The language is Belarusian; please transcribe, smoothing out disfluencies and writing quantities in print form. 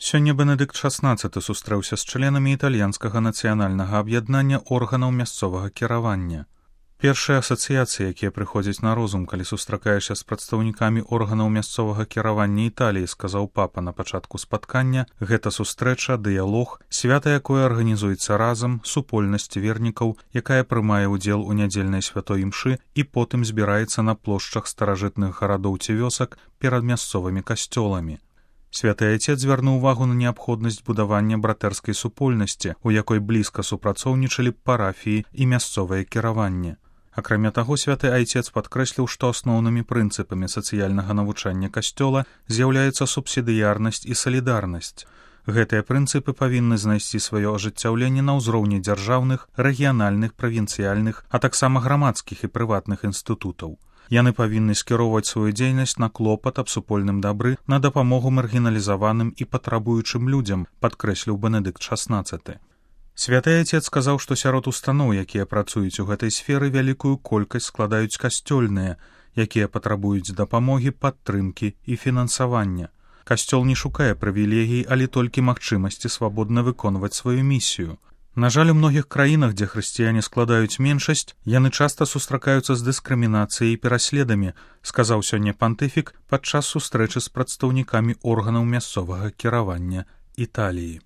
Сёння Бенедыкт XVI сустрэўся з членамі італьянскага нацыянальнага аб'яднання органаў мясцовага кіравання. Першыя асацыяцыі, якія прыходзяць на розум, калі сустракаешся з прадстаўнікамі органаў мясцовага кіравання Італіі, сказаў папа на пачатку спаткання, гэта сустрэча, дыялог, свята, якое арганізуецца разам, супольнасць вернікаў, якая прымае ўдзел у нядзельнай святой імшы і потым збіраецца на плошчах старажытных гарадоў ці вёсак перад мясцовымі касцёламі. Святы Айцец звярнуў увагу на неабходнасць будавання братэрскай супольнасці, у якой блізка супрацоўнічалі парафіі і мясцовае кіраванне. Акрамя таго, святы Айцец падкрэсліў, што асноўнымі прынцыпамі сацыяльнага навучання касцёла з'яўляецца субсідыярнасць і салідарнасць. Гэтыя прынцыпы павінны знайсці сваё ажыццяўленне на ўзроўні дзяржаўных, рэгіянальных, правінцыяльных, а таксама грамадскіх і прыватных інстытутаў. Яны павінны скіроўваць сваю дзейнасць на клопат аб супольным дабры, на дапамогу маргіналізаваным і патрабуючым людзям, падкрэсліў Бенедыкт XVI. Святы Айцец сказаў, што сярод устаноў, якія працуюць у гэтай сферы, вялікую колькасць складаюць касцёльныя, якія патрабуюць дапамогі, падтрымкі і фінансавання. Касцёл не шукае прывілегій, але толькі магчымасці свабодна выконваць сваю місію. На жаль, у многіх краінах, дзе хрысціяне складаюць меншасць, яны часта сустракаюцца з дыскрымінацыяй і пераследамі, сказаў сёння пантыфік падчас сустрэчы з прадстаўнікамі органаў мясцовага кіравання Італіі.